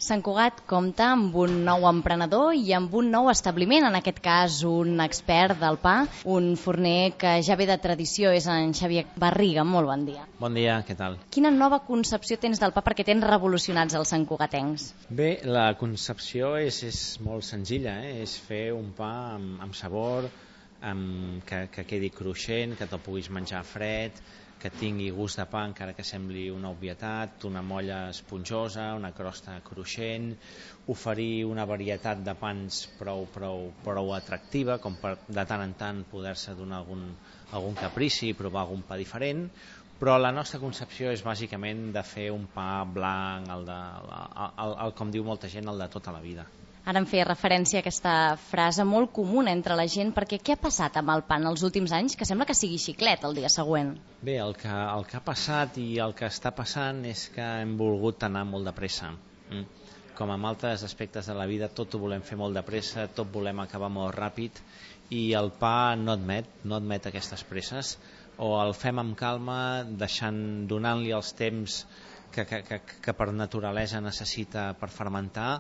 Sant Cugat compta amb un nou emprenedor i amb un nou establiment, en aquest cas un expert del pa, un forner que ja ve de tradició, és en Xavier Barriga. Molt bon dia. Bon dia, què tal? Quina nova concepció tens del pa perquè tens revolucionats els santcugatencs? Bé, la concepció és molt senzilla, és fer un pa amb sabor, que quedi cruixent, que te'l puguis menjar fred, que tingui gust de pa encara que sembli una obvietat, una molla esponjosa, una crosta cruixent, oferir una varietat de pans prou atractiva, com per de tant en tant poder-se donar algun caprici i provar algun pa diferent, però la nostra concepció és bàsicament de fer un pa blanc, com diu molta gent, el de tota la vida. Ara em feia referència a aquesta frase molt comuna entre la gent, perquè què ha passat amb el pa en els últims anys que sembla que sigui xiclet el dia següent? Bé, el que ha passat i el que està passant és que hem volgut anar molt de pressa. Com en altres aspectes de la vida, tot ho volem fer molt de pressa, tot volem acabar molt ràpid, i el pa no admet aquestes presses. O el fem amb calma, donant-li els temps que per naturalesa necessita per fermentar,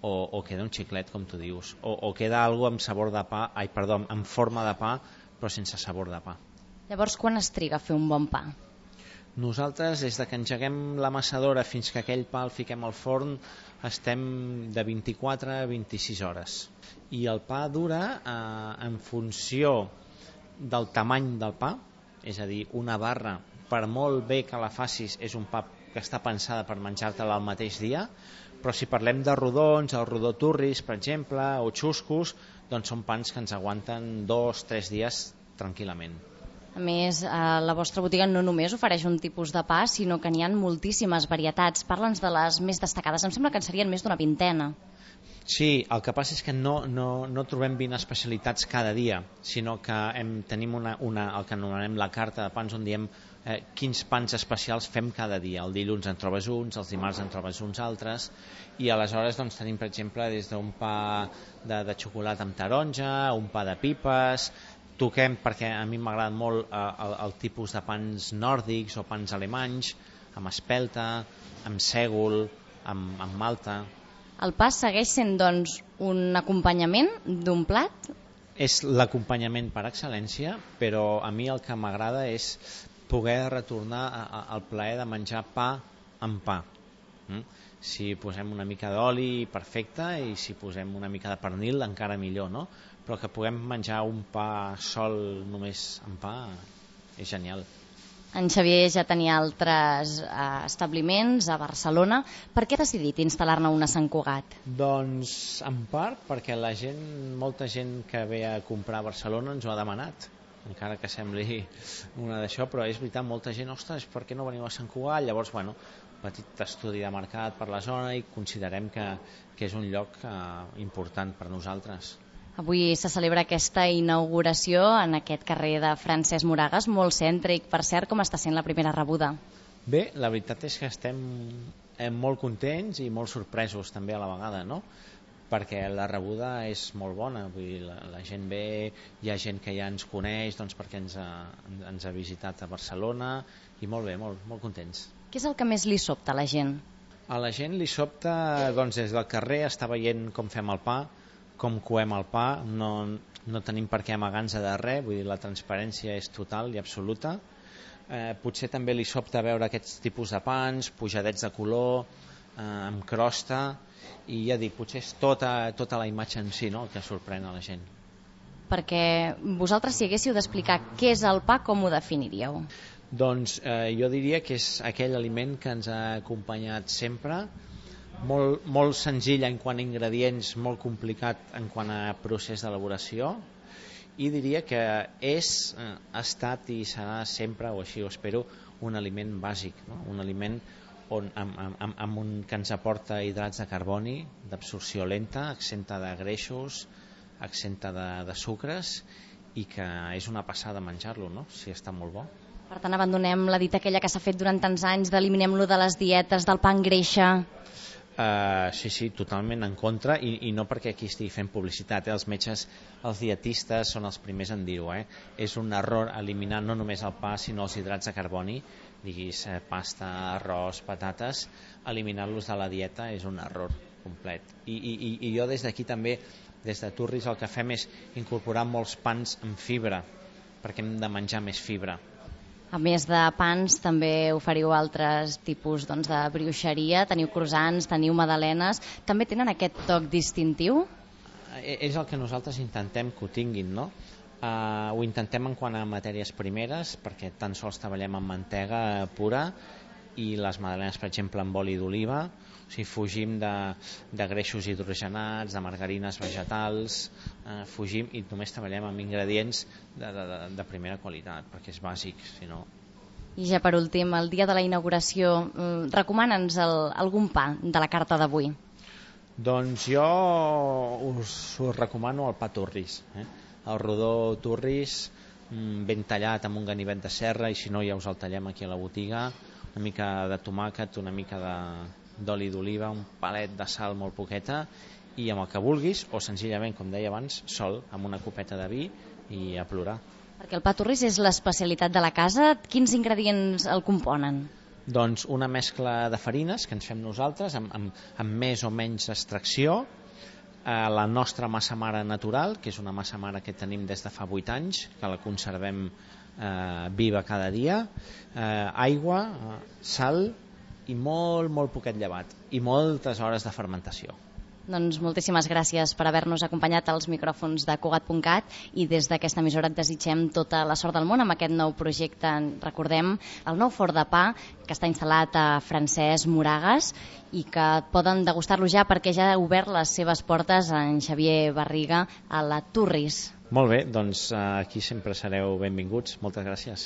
o queda un xiclet, com tu dius, o queda alguna amb forma de pa, però sense sabor de pa. Llavors, quan es triga a fer un bon pa? Nosaltres, des que engeguem l'amassadora fins que aquell pa el fiquem al forn, estem de 24 a 26 hores. I el pa dura en funció del tamany del pa, és a dir, una barra, per molt bé que la facis, és un pa que està pensada per menjar-te-la el mateix dia, però si parlem de rodons, el rodó turris, per exemple, o xuscos, doncs són pans que ens aguanten 2-3 dies tranquil·lament. A més, la vostra botiga no només ofereix un tipus de pa, sinó que n'hi ha moltíssimes varietats. Parla'ns de les més destacades, em sembla que en serien més d'una vintena. Sí, el que passa és que no trobem 20 especialitats cada dia, sinó que tenim el que anomenem la carta de pans, on diem quins pans especials fem cada dia. El dilluns en trobes uns, els dimarts en trobes uns altres, i aleshores doncs, tenim, per exemple, des d'un pa de xocolata amb taronja, un pa de pipes. Toquem, perquè a mi m'agrada molt el tipus de pans nòrdics o pans alemanys, amb espelta, amb sègol, amb malta. El pa segueix sent, doncs, un acompanyament d'un plat? És l'acompanyament per excel·lència, però a mi el que m'agrada és poder retornar al plaer de menjar pa amb pa. Si posem una mica d'oli, perfecte, i si posem una mica de pernil, encara millor, no? Però que puguem menjar un pa sol només amb pa és genial. En Xavier ja tenia altres establiments a Barcelona. Per què ha decidit instal·lar-ne un a Sant Cugat? Doncs en part perquè molta gent que ve a comprar a Barcelona ens ho ha demanat, encara que sembli una d'això, però és veritat, molta gent, ostres, per què no veniu a Sant Cugat? Llavors, petit estudi de mercat per la zona i considerem que és un lloc important per nosaltres. Avui se celebra aquesta inauguració en aquest carrer de Francesc Moragas, molt cèntric. Per cert, com està sent la primera rebuda? Bé, la veritat és que estem molt contents i molt sorpresos també a la vegada, no? Perquè la rebuda és molt bona, vull dir, la gent ve, hi ha gent que ja ens coneix perquè ens ha visitat a Barcelona, i molt bé, molt contents. Què és el que més li sobta a la gent? A la gent li sobta, des del carrer, estar veient com fem el pa, com coem el pa, no tenim per què amagar-nos de res, vull dir, la transparència és total i absoluta. Potser també li sobta veure aquests tipus de pans, pujadets de color, amb crosta, i ja dic, potser és tota la imatge en si, no?, el que sorprèn a la gent. Perquè vosaltres, si haguéssiu d'explicar què és el pa, com ho definiríeu? Doncs jo diria que és aquell aliment que ens ha acompanyat sempre, molt senzill en quant a ingredients, molt complicat en quant a procés d'elaboració, i diria que ha estat i serà sempre, o així ho espero, un aliment bàsic, no? Un aliment que ens aporta hidrats de carboni, d'absorció lenta, exenta de greixos, exenta de sucres, i que és una passada menjar-lo, no?, si està molt bo. Per tant, abandonem la dita aquella que s'ha fet durant tants anys d'eliminem-lo de les dietes, del pa en greixa. Sí, totalment en contra, i no perquè aquí estigui fent publicitat, els metges, els dietistes són els primers en dir-ho, és un error eliminar no només el pa sinó els hidrats de carboni, diguis pasta, arròs, patates, eliminar-los de la dieta és un error. complet. I jo des d'aquí també, des de Turris, el que fem és incorporar molts pans amb fibra, perquè hem de menjar més fibra. A més de pans, també oferiu altres tipus de brioixeria, teniu croissants, teniu magdalenes, també tenen aquest toc distintiu? És el que nosaltres intentem que ho tinguin, no? Ho intentem en quant a matèries primeres, perquè tan sols treballem amb mantega pura, i les magdalenes, per exemple, amb oli d'oliva, o sigui, fugim de greixos hidrogenats, de margarines vegetals, fugim i només treballem amb ingredients de primera qualitat, perquè és bàsic, si no... I ja per últim, el dia de la inauguració, recomana'ns algun pa de la carta d'avui. Doncs jo us recomano el pa Turris, el rodó Turris, ben tallat amb un ganivet de serra, i si no ja us el tallem aquí a la botiga, una mica de tomàquet, una mica d'oli d'oliva, un palet de sal molt poqueta, i amb el que vulguis, o senzillament, com deia abans, sol, amb una copeta de vi i a plorar. Perquè el pa Turris és l'especialitat de la casa. Quins ingredients el componen? Doncs una mescla de farines que ens fem nosaltres, amb més o menys extracció, la nostra massa mare natural, que és una massa mare que tenim des de fa 8 anys, que la conservem viva cada dia, aigua, sal i molt poquet llevat i moltes hores de fermentació. Doncs moltíssimes gràcies per haver-nos acompanyat als micròfons de Cugat.cat, i des d'aquesta emissora et desitgem tota la sort del món amb aquest nou projecte. Recordem el nou forn de pa que està instal·lat a Francesc Moragas i que poden degustar-lo ja, perquè ja ha obert les seves portes en Xavier Barriga a la Turris. Molt bé, doncs aquí sempre sereu benvinguts. Moltes gràcies.